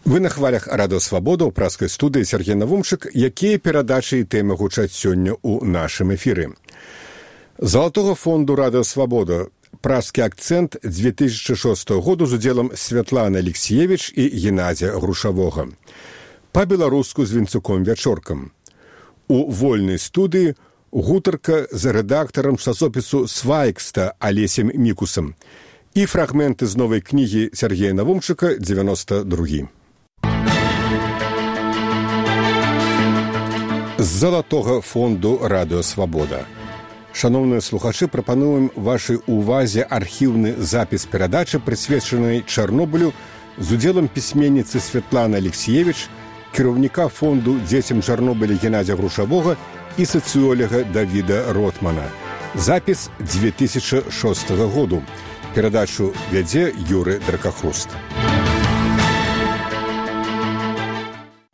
Вы на хвалях Радыё Свабода ў праскай студыі Сергей Навумчык, якія перадачы і тэмы гучаць сёння ў нашым эфіры. Залатога фонду Радыё Свабода «Праскі акцэнт» 2006 году з удзелам Святланы Алексіевіч і Геннадзя Грушавога. Па-беларуску з Вінцуком Вячоркам. У вольнай студыі гутарка з рэдактарам часопісу «Свайкста» Алесем Мікусам і фрагменты з новай кнігі Сергея Навумчыка «92». З залатога фонду Радыё Свабода. Шановныя слухачы, прапануем вашай увазе архіўны запіс перадачы, прысвечанай Чарнобылю, з удзелам пісьменніцы Святланы Алексіевіч, кіраўніка фонду дзецям Чарнобыля Геннадзя Грушавога і сацыёлага Давіда Ротмана. Запіс 2006 году. Перадачу вядзе Юры Дракахруст.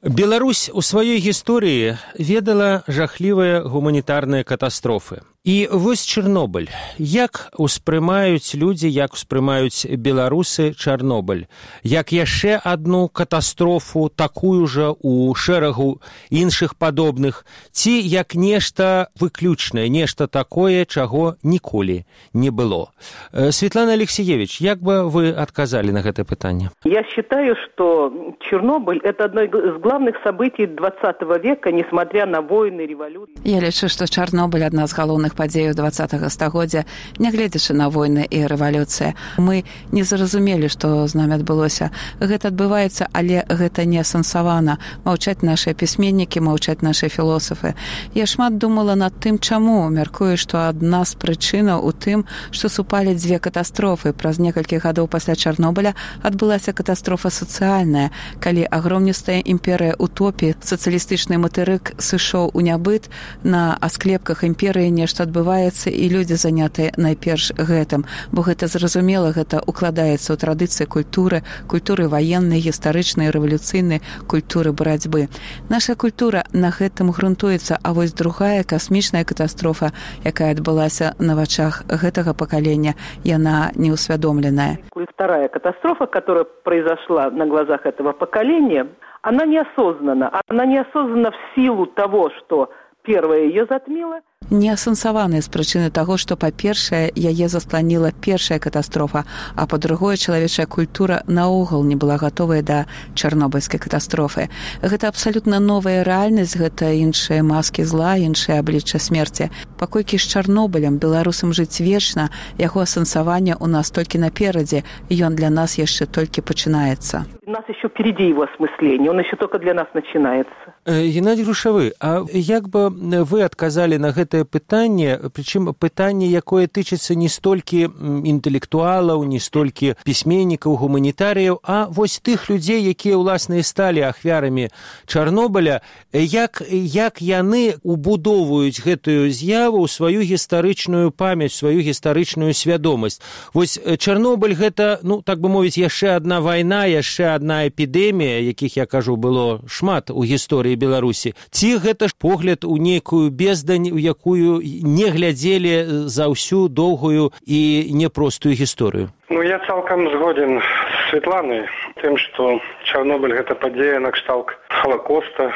Беларусь у сваёй гісторыі ведала жахлівыя гуманітарныя катастрофы. І вось Чарнобыль. Як успрымаюць людзі, як успрымаюць беларусы Чарнобыль? Як яшчэ адну катастрофу, такую жа у шэрагу іншых падобных? Ці як нешта выключнае, нешта такое, чаго ніколі не было? Светлана Алексеевич, як бы вы адказалі на гэта пытанне? Я считаю, что Чернобыль – это одно из главных событий 20 века, несмотря на войны, революции. Я лічу, што Чарнобыль – адна з галоўных падзеяў 20-го стагоддзя, нягледзячы на войны і рэвалюцыя. Мы не зразумелі, што з намі адбылося. Гэта адбываецца, але гэта не асэнсавана. Маўчаць нашыя пісьменнікі, маўчаць нашыя філосафы. Я шмат думала над тым, чаму. Мяркую, што адна з прычынаў у тым, што супалі дзве катастрофы. Праз некалькі гадоў пасля Чарнобыля адбылася катастрофа сацыяльная, калі агромністая імперыя утопіі, сацыялістычны матэрык сышоў у нябыт, на асклепках імперыі нешта адбываецца, і людзі занятыя найперш гэтым, бо гэта зразумела, гэта укладаецца ў традыцыі культуры ваеннай, гістарычнай, рэвалюцыйнай, культуры барацьбы. Наша культура на гэтым грунтуецца, а вось другая касмічная катастрофа, якая адбылася на вачах гэтага пакалення, яна неусвядомленая. Вторая катастрофа, которая произошла на глазах этого поколения, она неосознанна. Она неосознанна в силу того, что первая ее затмила. Неасэнсаваныя з прычыны таго, што, па-першае, яе засланіла першая катастрофа, а па-другое, чалавечая культура наогул не была гатовая да чарнобыльскай катастрофы. Гэта абсалютна новая рэальнасць, гэта іншыя маскі зла, іншыя аблічча смерці. Паколькі з Чарнобылем беларусам жыць вечна, яго асэнсаванне ў нас толькі наперадзе, ён для нас яшчэ толькі пачынаецца. У нас еще впереди его осмысление, он еще только для нас начинается. Геннадий Грушавы, а як бы вы адказалі на гэтае пытанне, прычым пытанне, якое тычыцца не столькі інтэлектуалаў, не столькі пісьменнікаў, гуманітарыяў, а вось тых людзей, якія ўласна і сталі ахвярамі Чарнобыля, як яны убудоўваюць гэтую з'яву ў сваю гістарычную памяць, сваю гістарычную свядомасць. Вось Чарнобыль гэта, так бы мовіць, яшчэ адна вайна, яшчэ адна эпідэмія, якіх, я кажу, было шмат у гісторыі Беларусі. Ці гэта ж погляд у нейкую бездань, у якую не глядзелі за ўсю доўгую і непростую гісторыю? Я цалкам згоден з Светланай тым, што Чарнобыль гэта падзея накшталт Халакоста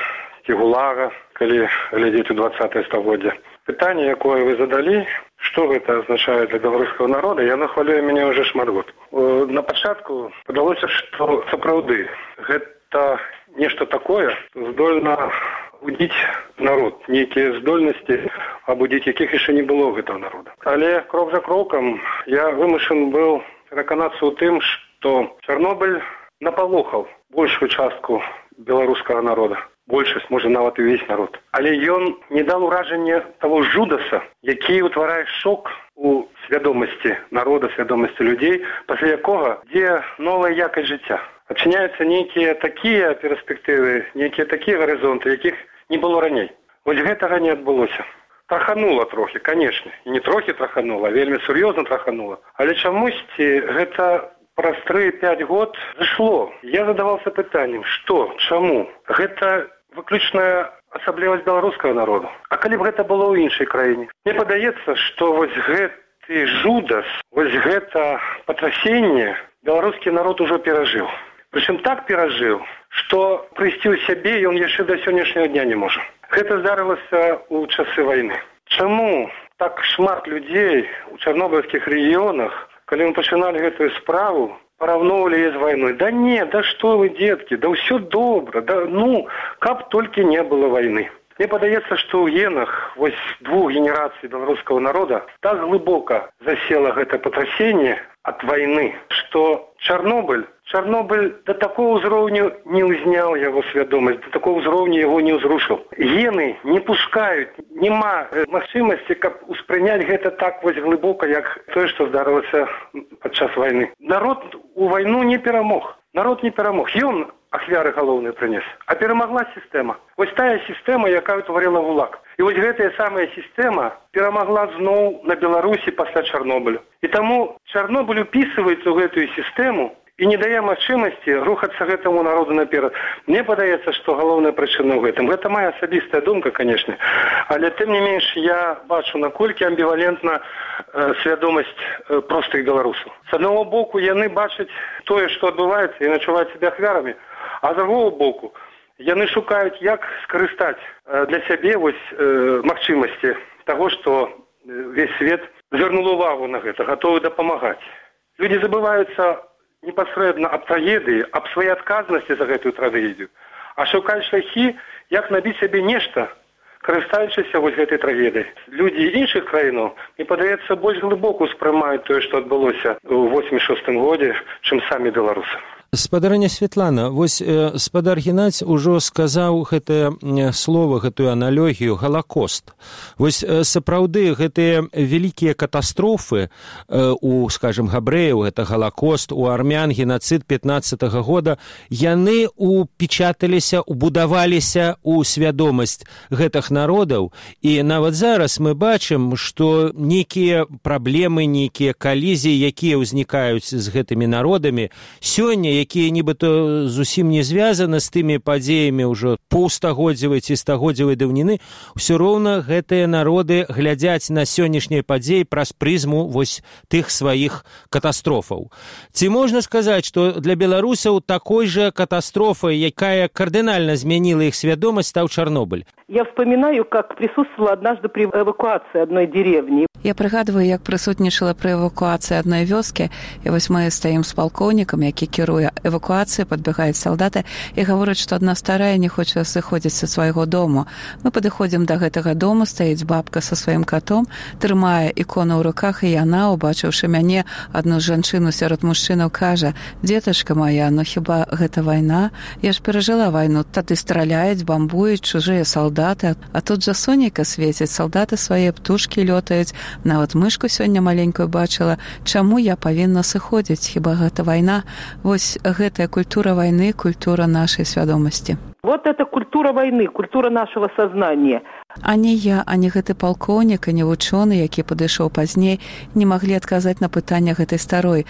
і ГУЛАГа, калі глядзець у 20-е стагоддзе. Пытанне, якое вы задалі, што гэта азначае для беларускага народа, яно хвалюе мяне ўжо шмат год. На пачатку падалося, што сапраўды гэта нешта такое здольна будзіць народ, нейкія здольнасці, абудзіць якіх яшчэ не было гэтага народа. Але крок за крокам я вымушан быў пераканацца ў тым, што Чарнобыль напалохаў большую частку беларускага народа. Большасць, можа, нават і ўвесь народ. Але ён не дал уражання таго жудаса, які ўтварае шок у свядомасці народа, свядомасці людзей, пасля якога ідзе новая якасць жыцця. Адчыняюцца нейкія такія перспектывы, нейкія такія гарызонты, якіх не было раней. Вось гэтага не адбылося. Траханула трохі, канешне. І не трохі траханула, а вельмі сур'ёзна траханула. Але чамусьці гэта праз 3-5 год зышло. Я задаваўся пытаннем, што, чаму? Гэта выключная асаблівасць беларускага народу. А калі б гэта было ў іншай краіне? Мне падаецца, што вось гэты жудас, вось гэта патрасенне беларускі народ ужо перажыў. Прычым так перажыў, што прыйсці ў сябе ён яшчэ да сённяшняга дня не можа. Гэта здарылася ў часы вайны. Чаму так шмат людзей у чарнобыльскіх рэгіёнах, калі мы пачыналі гэтую справу, параўноўвалі яе з вайной? Да не, да што вы, дзеткі, да ўсё добра, да каб толькі не было вайны. Мне падаецца, што ў генах вось двух генерацый беларускага народа так глыбока засела гэта патрасенне ад вайны, што Чарнобыль да такого ўзроўню не ўзняў яго свядомасць, да такого ўзроўню яго не ўзрушыў. Гены не пускаюць, няма магчымасці, каб успрыняць гэта так вось глыбока, як тое, што здарылася падчас вайны. Народ у вайну не перамог. Народ не перамог. Ён ахвяры галоўныя прынес. А перамагла сістэма. Вось тая сістэма, якая ўтварыла ГУЛАГ. І вось гэтая самая сістэма перамагла зноў на Беларусі пасля Чарнобылю. І таму Чарнобыль упісваецца ў гэтую сістэму і не дае магчымасці рухацца гэтаму народу наперад. Мне падаецца, што галоўная прычына ў гэтым. Гэта моя асабістая думка, канешне. Але тым не менш я бачу, наколькі амбівалентна свядомасць простых беларусаў. З аднаго боку, яны бачаць тое, што адбываецца, і начуваюць сябе ахвярамі, а з другого боку, яны шукаюць, як скарыстаць для сябе вось магчымасці таго, што весь свет звярнуў увагу на гэта, гатовы дапамагаць. Людзі забываюцца непасрэдна аб трагедыі, аб сваёй адказнасці за гэтую трагедыю, а шукаюць шляхі, як набіць сябе нешта, карыстаючыся вось гэтай трагедыяй. Людзі іншых краінаў, мне падаецца, больш глыбока ўспрымаюць тое, што адбылося ў 86-м годзе, чым самі беларусы. Спадарыня Святлана, вось спадар Геннадзь ужо сказаў гэтае слово, гэтую аналогію галакост. Вось сапраўды гэтыя вялікія катастрофы у, скажем, габрэяў, гэта галакост, у армян геноцид 15-го года, яны упечаталіся, убудаваліся у свядомасць гэтых народаў, і нават зараз мы бачым, што нейкія праблемы, нейкія калізіі, якія ўзнікаюць з гэтымі народамі, сёння якія нібыта зусім не звязаны з тымі падзеямі ўжо паўстагоддзевай ці стагоддзевай даўніны, ўсё роўна гэтыя народы глядзяць на сённяшнія падзеі праз прызму вось тых сваіх катастрофаў. Ці можна сказаць, што для беларусаў такой жа катастрофай, якая кардынальна змяніла іх свядомасць, стаў Чарнобыль? Я вспоминаю, как присутствовала однажды при эвакуации одной деревни. Я прыгадваю, як прысутнічала пры эвакуацыі адной вёскі, і вось мы стаім з палкоўнікам, які кіруе эвакуацыяй, падбягаюць салдаты і гавораць, што адна старая не хоча сыходзіць са свайго дому. Мы падыходзім да гэтага дому, стаіць бабка са сваім катом, трымае ікону ў руках, і яна, убачыўшы мяне, адну жанчыну сярод мужчынаў, кажа: «Дзетачка моя, ну хіба гэта вайна? Я ж перажыла вайну, тады страляюць, бамбуюць чужыя салдаты, а тут жа сонейка свеціць, салдаты свае птушкі лётаюць, нават мышку сёння маленькую бачыла. Чаму я павінна сыходзіць? Хіба гэта вайна?» Вось гэтая культура вайны, культура нашай свядомасці. Вот это культура войны, культура нашего сознания. Ані я, ані гэты палкоўнік, ані вучоны, які падышоў пазней, не маглі адказаць на пытанне гэтай старой.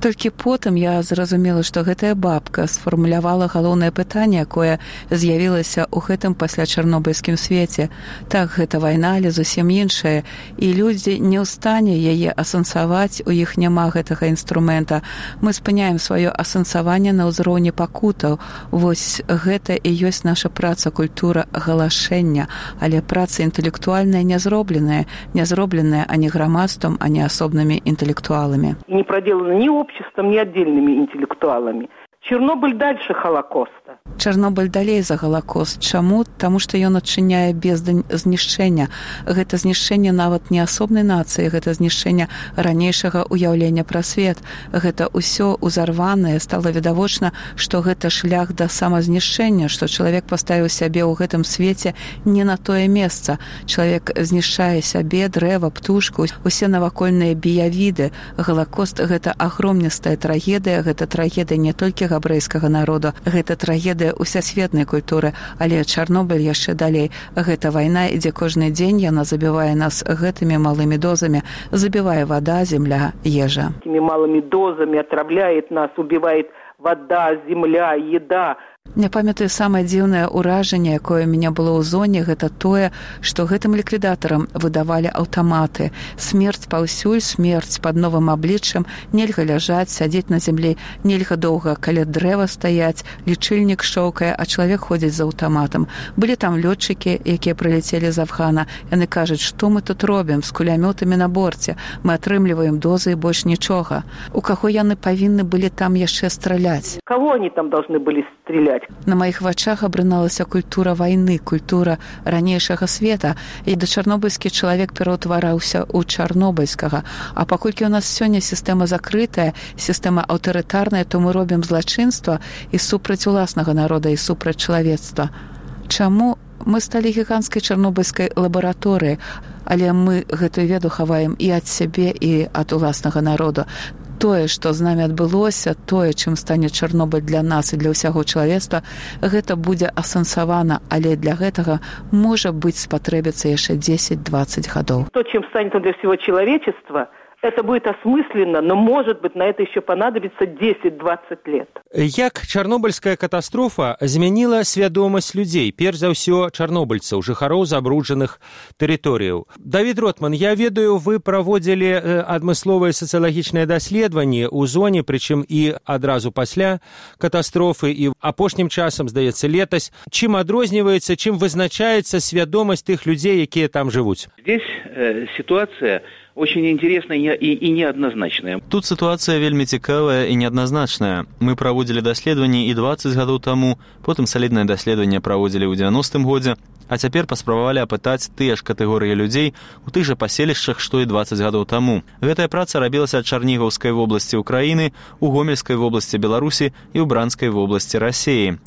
Толькі потым я зразумела, што гэтая бабка сфармулявала галоўнае пытанне, якое з'явілася ў гэтым пасля чарнобыльскім свеце. Так, гэта вайна, але зусім іншая, і людзі не ў стане яе асэнсаваць, у іх няма гэтага інструмента. Мы спыняем сваё асэнсаванне на ўзроўні пакутаў. Вось гэта і ёсць наша праца, культура галашэння, але праца інтэлектуальная не зробленая ані грамадствам, ані асобнымі інтэлектуаламі. Не проделана ни обществом, ни отдельными интеллектуалами. Чернобыль дальше Холокоста. Чарнобыль далей за Галакост. Чаму? Таму што ён адчыняе бездань знішчэння. Гэта знішчэнне нават не асобнай нацыі, гэта знішчэнне ранейшага ўяўлення пра свет. Гэта ўсё узарванае, стала відавочна, што гэта шлях да самазнішчэння, што чалавек паставіў сябе ў гэтым свеце не на тое месца. Чалавек знішчае сябе, дрэва, птушку, усе навакольныя біявіды. Галакост — гэта агромністая трагедыя, гэта трагедыя не толькі габрэйскага народа, гэта трагедыя усесветнай культуры, але Чарнобыль яшчэ далей. Гэта вайна ідзе кожны дзень, яна забівае нас гэтымі малымі дозамі, забівае вода, земля, ежа. Этими малыми дозами отравляет нас, убивает вода, земля, еда. Я памятаю, самае дзіўнае ўражанне, якое ў мяне было ў зоне, гэта тое, што гэтым ліквідатарам выдавалі аўтаматы. Смерць паўсюль, смерць пад новым абліччам, нельга ляжаць, сядзець на зямлі, нельга доўга каля дрэва стаяць, лічыльнік шоўкае, а чалавек ходзіць з аўтаматам. Былі там лётчыкі, якія прылецелі з Афгана. Яны кажуць, што мы тут робім з кулямётамі на борце. Мы атрымліваем дозы і больш нічога. У каго яны павінны былі там яшчэ страляць? Кого они там должны были стрелять? На маіх вачах абрыналася культура вайны, культура ранейшага света, і да чарнобыльскі чалавек пераўтвараўся ў чарнобыльскага. А паколькі ў нас сёння сістэма закрытая, сістэма аўтарытарная, то мы робім злачынства і супраць уласнага народа, і супраць чалавецтва. Чаму мы сталі гіганцкай чарнобыльскай лабараторыяй, але мы гэтую веду хаваем і ад сябе, і ад уласнага народа. Тое, што з намі адбылося, тое, чым стане Чарнобыль для нас і для ўсяго чалавецтва, гэта будзе асэнсавана, але для гэтага, можа быць, спатрэбіцца яшчэ 10-20 гадоў. То, чем станет для всего человечества, это будет осмысленно, но, может быть, на это еще понадобится 10-20 лет. Як чарнобыльская катастрофа змяніла свядомасць людзей, перш за ўсё чарнобыльцаў, жыхароў забруджаных тэрыторыяў? Давід Ротман, я ведаю, вы праводзілі адмысловыя сацыялагічныя даследаванні ў зоне, прычым і адразу пасля катастрофы, і апошнім часам, здаецца, летась. Чым адрозніваецца, чым вызначаецца свядомасць тых людзей, якія там жывуць? Здесь ситуация очень интересная и неоднозначная. Тут ситуация вельмі цікавая і неадназначная. Мы праводзілі даследаванні і 20 гадоў таму, потым саліднае даследаванне праводзілі ў 90-м годзе, а цяпер паспрабавалі апытаць тыя ж катэгорыі людзей у тых жа паселішчах, што і 20 гадоў таму. Гэтая праца рабілася ад Чарнігаўскай вобласці ўкраіны, у Гомельскай вобласці Беларусі і ў Бранскай вобласці Расіі.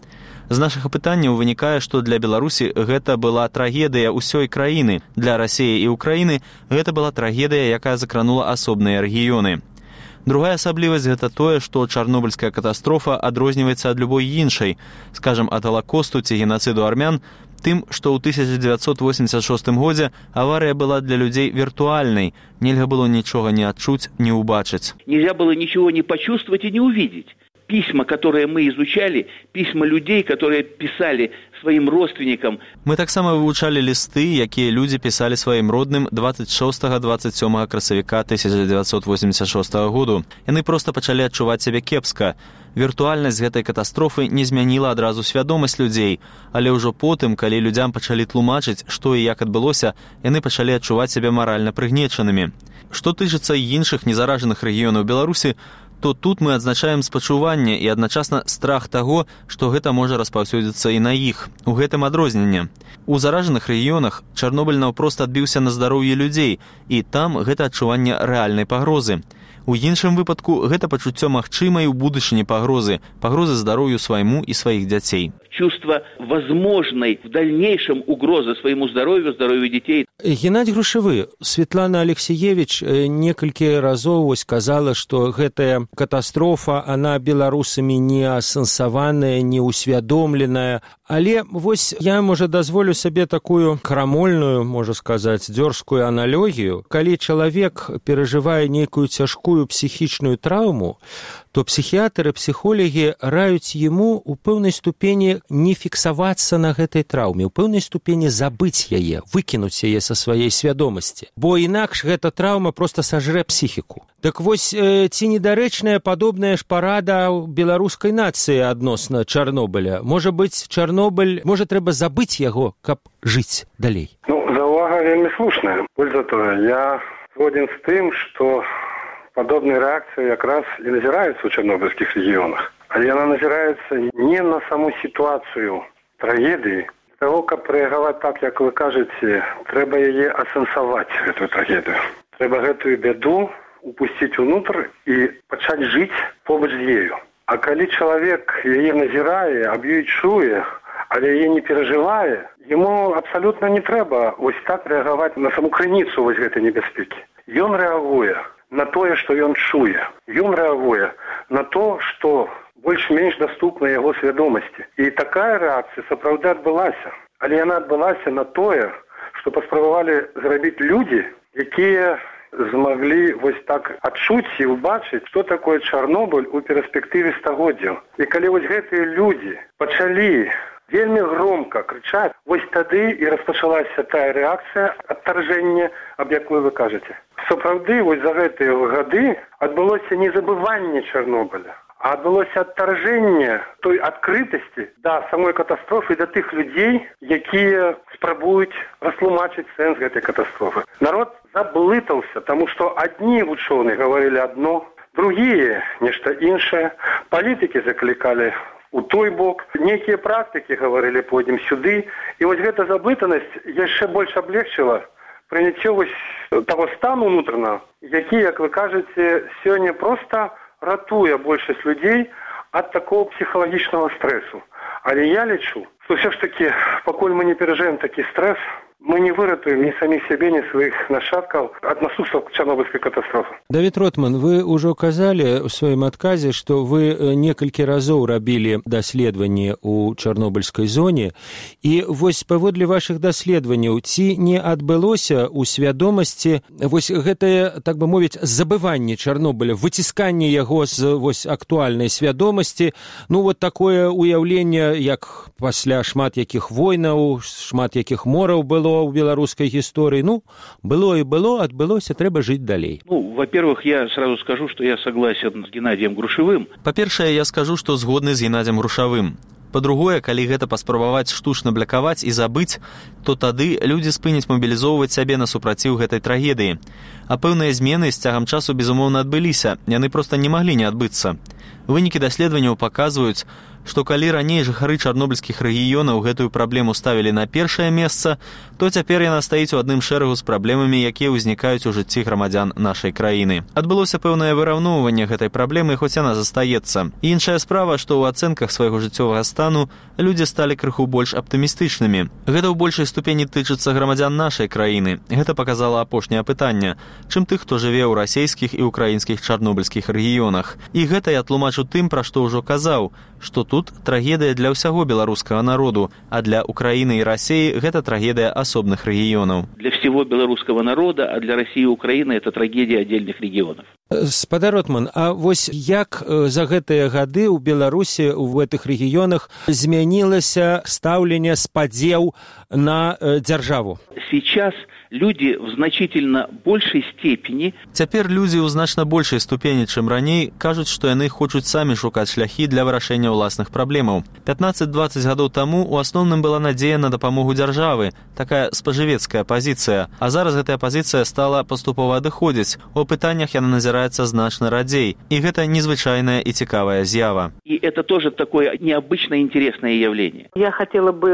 З нашых апытанняў вынікае, што для Беларусі гэта была трагедыя ўсёй краіны. Для Расіі і Украіны гэта была трагедыя, якая закранула асобныя рэгіёны. Другая асаблівасць гэта тое, што чарнобыльская катастрофа адрозніваецца ад любой іншай, скажам, ад Халакосту ці генацыду армян, тым, што ў 1986 годзе аварыя была для людзей віртуальнай, нельга было нічога не адчуць, не ўбачыць. Нельзя было ничего не почувствовать и не увидеть. Письма, которые мы изучали, письма людей, которые писали сваім родственнікам. Мы таксама вывучалі лісты, якія людзі пісалі сваім родным 26-27 красавіка 1986 году. Яны проста пачалі адчуваць сябе кепска. Віртуальнасць гэтай катастрофы не змяніла адразу свядомасць людзей, але ўжо потым, калі людзям пачалі тлумачыць, што і як адбылося, яны пачалі адчуваць сябе маральна прыгнечанымі. Што тычыцца іншых незаражаных рэгіёнаў Беларусі, то тут мы адзначаем спачуванне і адначасна страх таго, што гэта можа распаўсюдзіцца і на іх. У гэтым адрозненне. У заражаных рэгіёнах Чарнобыль наўпрост адбіўся на здароўі людзей, і там гэта адчуванне рэальнай пагрозы. У іншым выпадку гэта пачуццё магчымай у будучыні пагрозы здароўю свайму і сваіх дзяцей. Чувство возможной в дальнейшем угрозы своему здоровью, здоровью детей. Геннадий Грушевы, Светлана Алексеевич некалькі разоў сказала, што гэтая катастрофа, она беларусамі не асэнсаваная, не усвядомленая. Але вось я, можа, дазволю сабе такую крамольную, можа сказаць, дзёрзкую аналогію. Калі чалавек перажывае нейкую цяжкую псіхічную траўму, то психиатры, психологи раюць ему у пэўнай ступені не фіксавацца на гэтай траўме, у пэўнай ступені забыць яе, выкінуць яе са сваёй свядомасці. Бо інакш гэта траўма проста сажрэ псіхіку. Так вось, ці недарэчная падобная ж парада беларускай нацыі адносна Чарнобыля? Можа быць, Чарнобыль, можа, трэба забыць яго, каб жыць далей? Заўвага вельмі слушная. Больш за тое, я згоден з тым, што подобные реакции как раз и назираются в чернобыльских регионах. А она назирается не на саму ситуацию трагедии. Для того, как реагировать так, как вы кажете, треба ее асэнсаваць, эту трагедию. Треба эту беду упустить внутрь и начать жить побач з ею. А коли человек ее назирает, аб'ю чуе, але ее не переживает, ему абсолютно не треба ось так реагировать на саму крыніцу вось гэтай небяспекі. Ён реагуе на тое, што ён чуе. Ён рэагуе на то, што больш-менш даступна яго свядомасці. І такая рэакцыя сапраўды адбылася. Але яна адбылася на тое, што паспрабавалі зрабіць людзі, якія змаглі вось так адчуць і ўбачыць, што такое Чарнобыль у перспектыве стагоддзяў. І калі вось гэтыя людзі пачалі вельмі громко крычаць, вось тады і распачалася тая рэакцыя адтаржэння, аб якой вы кажаце. Сапраўды, вось за гэтыя гады адбылося не забыванне Чарнобыля, а адбылося адтаржэнне той адкрытасці да самой катастрофы, да тых людзей, якія спрабуюць растлумачыць сэнс гэтай катастрофы. Народ заблытаўся, таму што адні вучоныя гаварылі адно, другія нешта іншае, палітыкі заклікалі у той бок, некія практыкі гаварылі пойдзем сюды, і вось гэта заблытанасць яшчэ больш аблегчыла прыняццё вось таго стану унутранага, які, як вы кажаце, сёння проста ратуе большасць людзей ад такого псіхалагічнага стрэсу. Але я лічу, што ўсё ж такі, пакуль мы не перажывем такі стрэс, мы не выратуем ни самих себе, ни своих нашатков от наступства Чернобыльской катастрофы. Давид Ротман, вы уже указали в своем отказе, что вы некалькі разоў рабілі даследаванні ў Чарнобыльскай зоне, і вось паводле вашых даследаванняў, ці не адбылося ў свядомасці вось гэтае, так бы мовіць, забыванне Чарнобыля, выцісканне яго з вось актуальнай свядомасці, ну вот такое уяўленне, як пасля шмат якіх войнаў, шмат якіх мораў было ў беларускай гісторыі. Ну, было и было, адбылося, трэба жыць далей. Ну, во-первых, я сразу скажу, что я согласен с Геннадием Грушевым. Па-першае, я скажу, што згодны з Геннадием Грушавым. Па-другое, калі гэта паспрабаваць штучна блякаваць і забыць, то тады людзі спыняць мабілізоўваць сябе на супраціў гэтай трагедыі. А пэўныя змены з цягам часу, безумоўна, адбыліся. Яны проста не маглі не адбыцца. Вынікі даследаванняў паказваюць, што калі раней жыхары чарнобыльскіх рэгіёнаў гэтую праблему ставілі на першае месца, то цяпер яна стаіць у адным шэрагу з праблемамі, якія ўзнікаюць у жыцці грамадзян нашай краіны. Адбылося пэўнае выраўноўванне гэтай праблемы, хоць яна застаецца. І іншая справа, што ў ацэнках свайго жыццёвага стану людзі сталі крыху больш аптымістычнымі. Гэта ў большай ступені тычыцца грамадзян нашай краіны. Гэта паказала апошняе пытанне, чым тых, хто жыве ў расійскіх і ўкраінскіх чарнобыльскіх рэгіёнах. І гэта я тлумачу тым, пра што ўжо казаў, што тут трагедыя для ўсяго беларускага народу, а для Украіны і Расіі гэта трагедыя асобных рэгіёнаў. Для всего белорусского народа, а для России и Украины это трагедия отдельных регионов. Спадар Ротман, а вось як за гэтыя гады ў Беларусі ў гэтых рэгіёнах змянілася стаўленне спадзеў на дзяржаву? Сейчас люди в значительно большей степени... Цяпер людзі ў значна большай ступені, чым раней, кажуць, што яны хочуць самі шукаць шляхі для вырашэння ўласных праблемаў. 15-20 гадоў таму у асноўным была надзея на дапамогу дзяржавы, такая спажывецкая пазіцыя. А зараз гэтая пазіцыя стала паступова адыходзіць. У пытаннях яна назіраецца значна радзей. І гэта незвычайная і цікавая з'ява. И это тоже такое необычное интересное явление. Я хотела бы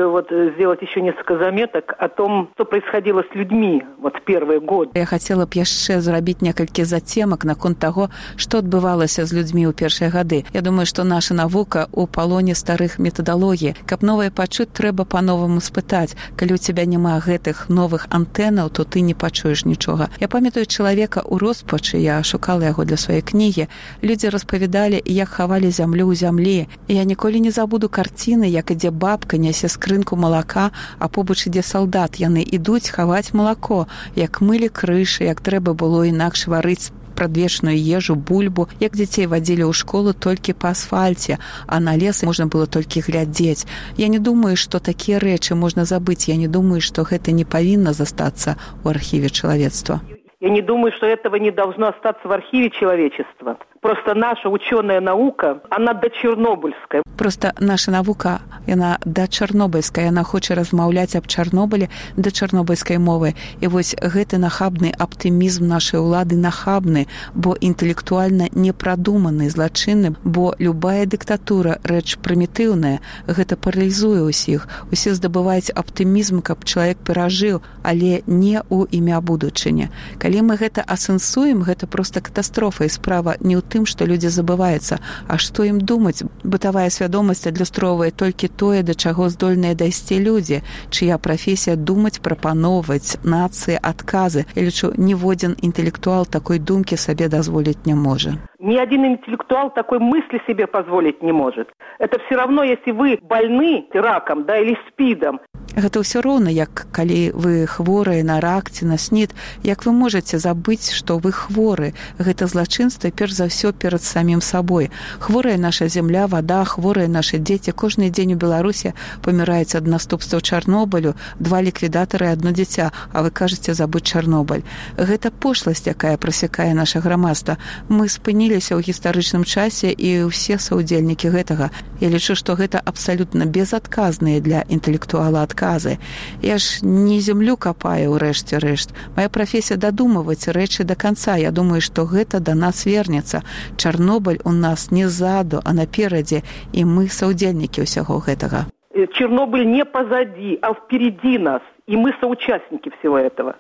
сделать еще несколько заметок о том, что происходило с людьми в первые годы. Я хотела б яшчэ зрабіць некалькі зацемак наконт таго, што адбывалася з людзьмі ў першыя гады. Я думаю, што наша навука ў палоне старых метадалогій. Каб новае пачуць, трэба па-новаму спытаць. Калі ў цябе няма гэтых новых антэнаў, то ты не пачуеш нічога. Я памятаю чалавека ў роспачы, я шукала яго для сваёй кнігі. Людзі распавядалі, як хавалі зямлю ў зямлі. І я ніколі не забуду карціны, як ідзе бабка, нясе скрынку малака, а побач ідзе салдат. Яны ідуць хаваць малако, як мылі крышы, як трэба было інакш варыць прадвечную ежу, бульбу, як дзяцей вадзілі ў школу толькі па асфальце, а на лес можна было толькі глядзець. Я не думаю, што такія рэчы можна забыць. Я не думаю, што гэта не павінна застацца ў архіве чалавецтва. Я не думаю, что этого не должно остаться в архиве человечества. Просто наша ученая наука, она дочернобыльская. Просто наша навука, яна дачернобыльская, яна хоча размаўляць аб Чарнобылі да чарнобыльскай мовы. І вось гэты нахабны аптымізм нашай улады нахабны, бо інтэлектуальна непрадуманы, злачынны, бо любая дыктатура рэч прымітыўная, гэта паралізуе ўсіх. Усе здабываюць аптымізм, каб чалавек перажыў, але не ў імя будучыні. Калі мы гэта асэнсуем, гэта проста катастрофа, і справа не ў тым, што людзі забываюцца, а што ім думаць. Бытавая свядомасць адлюстроўвае толькі тое, да чаго здольныя дайсці людзі, чыя прафесія думаць, прапаноўваць нацыі адказы. Я лічу, ніводзін інтэлектуал такой думкі сабе дазволіць не можа. Ни один интеллектуал такой мысли себе позволить не может. Это все равно, если вы больны раком, да, или СПИДом. Гэта ўсё роўна, як калі вы хворыя на рак ці на СНІД, як вы можаце забыць, што вы хворы. Гэта злачынства, перш за ўсё, перад самім сабой. Хворая наша зямля, вада, хворыя нашы дзеці. Кожны дзень у Беларусі паміраюць ад наступстваў Чарнобылю, 2 ліквідатары і 1 дзіця, а вы кажаце забыць Чарнобыль. Гэта пошласць, якая прасякае наша грамадства. Мы спыніліся ў гістарычным часе і ўсе саўдзельнікі гэтага. Я лічу, што гэта абсалютна безадказныя для інтэлектуала адказы. Я ж не зямлю капаю ў рэшце рэшт. Моя прафесія дадумаваць рэчы до конца. Я думаю, што гэта да нас вернецца. Чарнобыль у нас не ззаду, а наперадзе, і мы саўдзельнікі ўсяго гэтага. Чернобыль не позади, а впереди нас, и мы соучастники всего этого.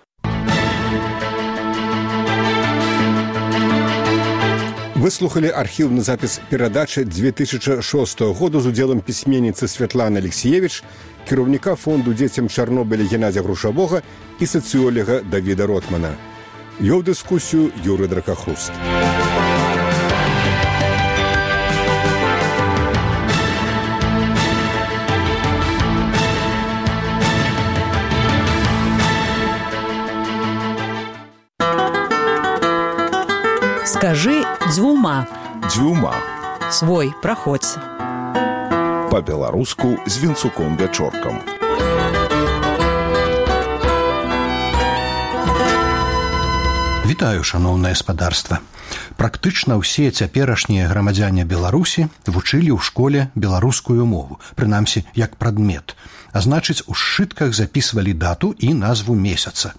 Выслухали архіўны запіс перадачы 2006 года з удзелам пісьменніцы Святланы Алексеевич, кіраўніка фонду дзецям Чарнобыля Геннадзя Грушавога і сацыёлага Давіда Ротмана. Вёў дыскусію Юрый Дракахруст. Скажи дзвюма. Дзвюма. Свой, праходзь. Па-беларуску з Вінцуком Вячоркам. Вітаю, шаноўнае спадарства. Практычна ўсе цяперашнія грамадзяне Беларусі вучылі ў школе беларускую мову, прынамсі як прадмет. А значыць, у сшытках запісвалі дату і назву месяца.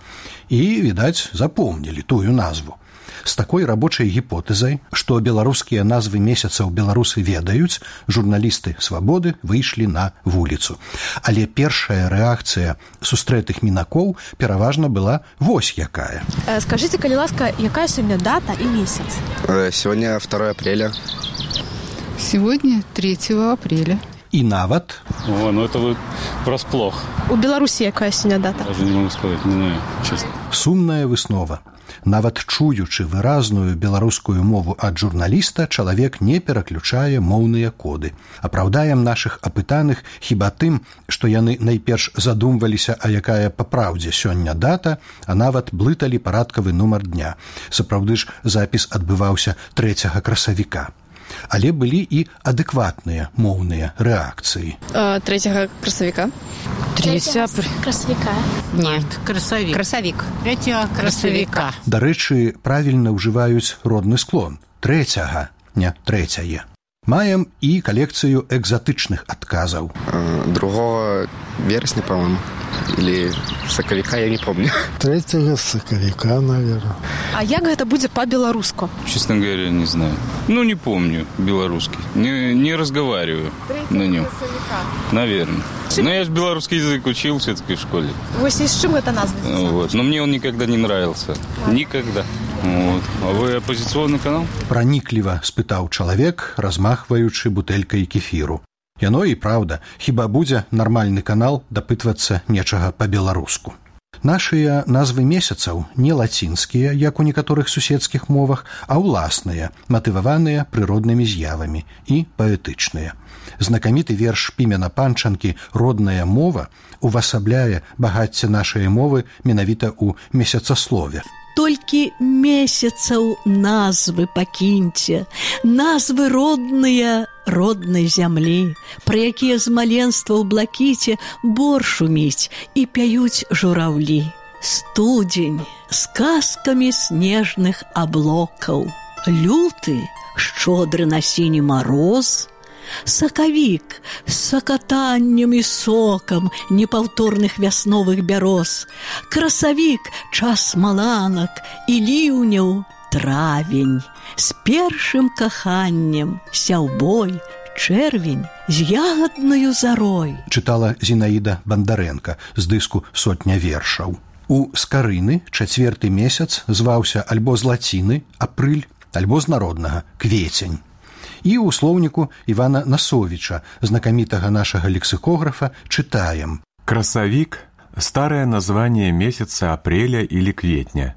І, відаць, запомнілі тую назву. З такой рабочай гіпотэзай, што беларускія назвы месяцаў беларусы ведаюць, журналісты «Свабоды» выйшлі на вуліцу. Але першая рэакцыя сустрэтых мінакоў пераважна была вось якая. Скажите, калі ласка, якая сёння дата і месяц? Сегодня 2 апреля. Сегодня 3 апреля. І нават... О, ну это вы врасплох. У Беларусі якая сёння дата? Даже не могу сказать, не знаю, честно. Сумная выснова. Нават чуючы выразную беларускую мову ад журналіста, чалавек не пераключае моўныя коды. Апраўдаем нашых апытаных хіба тым, што яны найперш задумваліся, а якая па праўдзе сёння дата, а нават блыталі парадкавы нумар дня. Сапраўды ж запіс адбываўся 3 красавіка. Але былі і адэкватныя моўныя рэакцыі. 3 красавіка. 3 красавіка. Нет, красавік. Красавік. 3 красавіка. Дарэчы, правільна ўжываюць родны склон. 3, не 3. Маем і калекцыю экзатычных адказаў. 2 вересня, по-моему. Или сакавіка, я не помню. 3 сакавіка, наверное. А як гэта будзе по-беларуску? Честно говоря, не знаю. Ну, не помню белорусский. Не разговариваю на нем. Наверное. Но я же белорусский язык учил все-таки в школе. Вось и с чем это назва? Вот. Но мне он никогда не нравился. Никогда. Вот. А вы оппозиционный канал? Пранікліва спытаў чалавек, размахваючы бутэлькай кефіру. Яно і праўда, хіба будзе нармальны канал дапытвацца нечага па-беларуску. Нашыя назвы месяцаў не лацінскія, як у некаторых суседскіх мовах, а ўласныя, матываваныя прыроднымі з'явамі і паэтычныя. Знакаміты верш Пімена Панчанкі «Родная мова» увасабляе багацце нашай мовы менавіта ў месяцаслове. Толькі месяцаў назвы пакіньце, назвы родныя роднай зямлі, пра якія з маленства ў блакіце бор шуміць і пяюць жураўлі. Студзень з казкамі снежных аблокаў, люты шчодры на сіні мароз, сакавік з сакатаннем і сокам непаўторных вясновых бяроз, красавік час маланак і ліўняў, травень з першым каханнем, сяўбой, чэрвень з ягаднаю зарой. Чытала Зінаіда Бандарэнка з дыску «Сотня вершаў». У скарыны 4 месяц зваўся альбо з лаціны апрыль, альбо з народнага квецень. І ў слоўніку Івана Насовіча, знакамітага нашага лексикографа, чытаем. Красавік – старое название месяца апреля или кветня.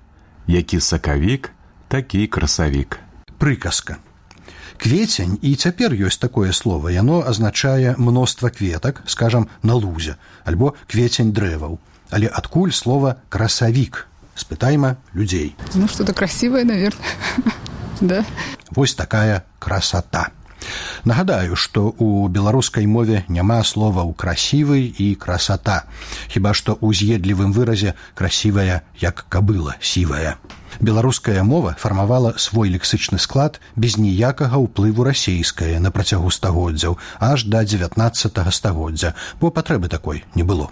Які сакавік, такі красавік. прыказка. Кветень, і цяпер ёсць такое слово, яно азначае мноства кветак, скажам, на лузе, альбо кветень дрэваў. Але адкуль слова красавік? Спытайма людзей. Ну, что-то красивое, наверное. Да. Вось такая красота. Нагадаю, што ў беларускай мове няма словаў красівы і красота, хіба што ў з'едлівым выразе красівая, як кабыла сівая. Беларуская мова фармавала свой лексычны склад без ніякага ўплыву расейскае на працягу стагоддзяў, аж да 19 стагоддзя, бо патрэбы такой не было.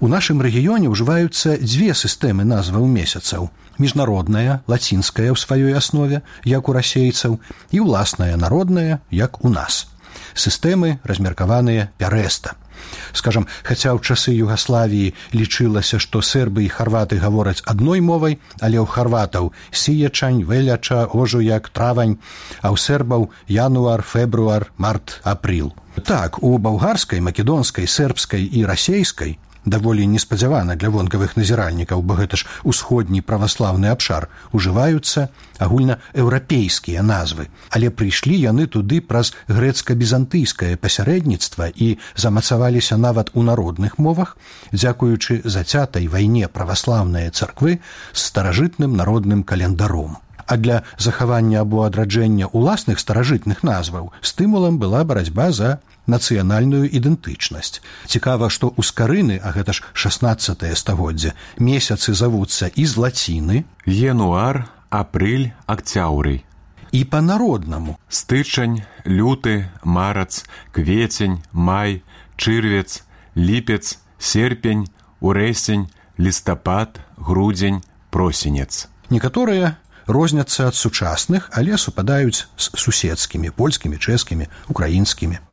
У нашым рэгіёне ўжываюцца дзве сістэмы назваў месяцаў. Міжнародная, лацінская ў сваёй аснове, як у расейцаў, і ўласная, народная, як у нас. Сістэмы размеркаваныя пярэста. Скажам, хаця ў часы Югаславіі лічылася, што сербы і харваты гавораць адной мовай, але ў харватаў сіячань, веляча, ожуяк, травань, а ў сербаў януар, фебруар, март, апрыл. Так, у балгарскай, македонскай, сербскай і расейскай даволі неспадзявана для вонкавых назіральнікаў, бо гэта ж усходні праваслаўны абшар, ужываюцца агульнаеўрапейскія назвы, але прыйшлі яны туды праз грэцка-бізантыйскае пасярэдніцтва і замацаваліся нават у народных мовах, дзякуючы зацятай вайне праваслаўныя царквы з старажытным народным календаром. А для захавання або адраджэння ўласных старажытных назваў стымулам была барацьба за нацыянальную ідэнтычнасць. Цікава, што ў скарыны, а гэта ж 16 стагоддзе, месяцы завуцца і з лаціны януар, апрыль, акцяўрый. І па-народнаму стычань, люты, марац, кветень, май, чырвец, ліпец, серпень, урэсень, лістапад, грудзень, просенец. Некаторыя розняцца ад сучасных, але супадаюць з суседскімі, польскімі, чэшскімі, украінскімі.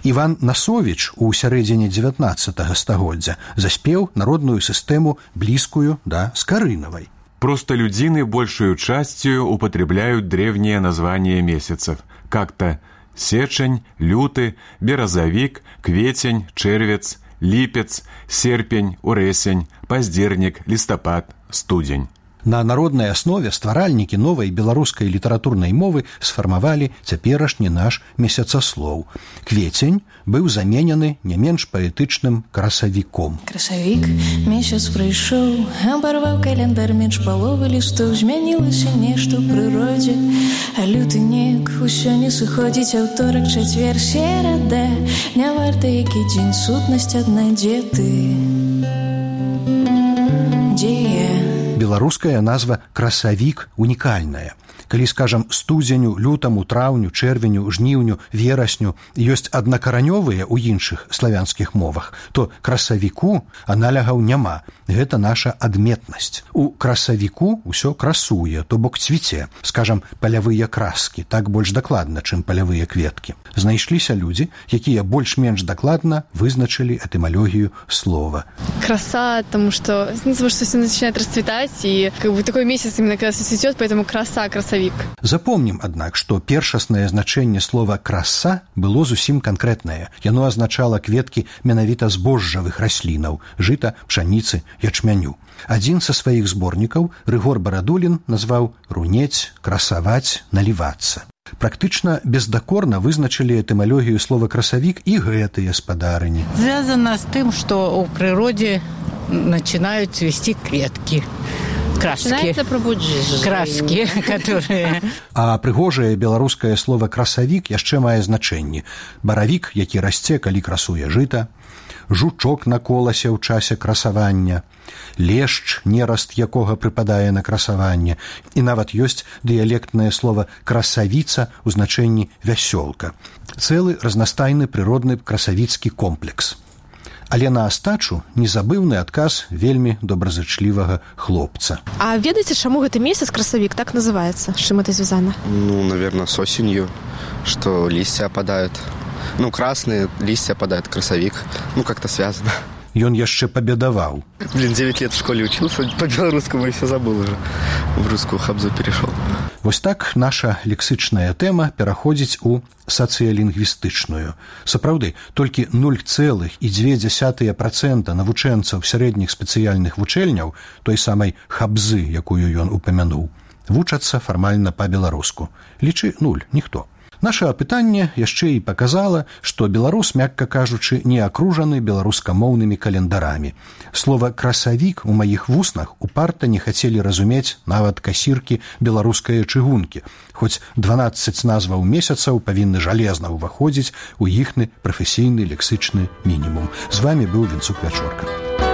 Іван Насовіч у сярэдзіне 19 стагоддзя заспеў народную сістэму, блізкую да скарынавай. Простолюдины большую частью употребляют древние названия месяцев, как-то сечень, люты, березовик, кветень, червец, липец, серпень, уресень, поздерник, листопад, студень. На народнай аснове стваральнікі новай беларускай літаратурнай мовы сфармавалі цяперашні наш месяцаслоў. Кветень быў заменены не менш паэтычным красавіком. Красавік, месяц прыйшоў, абарваў календар менш паловы лістоў, змянілася нешта ў прыродзе, а люты неяк усё не сыходзіць, аўторак, чацвер, серада, не варта які дзень, сутнасць адна, дзе ты? Дзе я? Беларуская назва красавік унікальная. Калі, скажам, студзеню, лютаму, траўню, чэрвеню, жніўню, верасню ёсць аднакаранёвыя ў іншых славянскіх мовах, то красавіку аналягаў няма. Гэта наша адметнасць. У красавіку ўсё красуе, то бок цвіце, скажам, палявыя краскі, так больш дакладна, чым палявыя кветкі. Знайшліся людзі, якія больш-менш дакладна вызначылі этымалогію слова. Краса, потому что все начинает расцветать, и как бы такой месяц именно когда все цветет, поэтому краса, красавик. Запомнім, аднак, што першаснае значэнне слова «краса» было зусім канкрэтнае. Яно азначала кветкі менавіта збожжавых раслінаў – жыта, пшаніцы, ячмяню. Адзін са сваіх зборнікаў, Рыгор Барадулін, назваў «рунець, красаваць, налівацца». Практычна бездакорна вызначылі этымалогію слова «красавік» і гэтыя спадарыні. Звязано с тем, что у природе начинают цвести кветки. Краски. Краски, которые... А прыгожае беларускае слова «красавік» яшчэ мае значэнні. Баравік, які расце, калі красуе жыта, жучок на коласе ў часе красавання, лешч, нераст якога прыпадае на красаванне, і нават ёсць дыялектнае слова «красавіца» у значэнні «вясёлка». Цэлы разнастайны прыродны красавіцкі комплекс. Але на астачу незабыўны адказ вельмі добразычлівага хлопца. А ведаеце, чаму гэты месяц красавік так называецца? З чым это звязана? Ну, наверное, с осенью, что листья опадают. Ну, красные листья опадают, красавик. Ну, как-то связано. Ён яшчэ пабедаваў. 9 лет в школе учился, по-белорусскому и все забыл уже. В русскую хабзу перешел. Вось так наша лексычная тэма пераходзіць у сацыялінгвістычную. Сапраўды, толькі 0,2% навучэнцаў сярэдніх спецыяльных вучэльняў, той самай хабзы, якую ён упамянуў, вучацца фармальна па-беларуску. Лічы 0, ніхто. Наша апытанне яшчэ і паказала, што беларус, мякка кажучы, не акружаны беларускамоўнымі календарамі. Слова «красавік» у маіх вуснах упарта не хацелі разумець нават касіркі беларускае чыгункі, хоць 12 назваў месяцаў павінны жалезна ўваходзіць у іхны прафесійны лексычны мінімум. З вамі быў Вінцук Вячорка.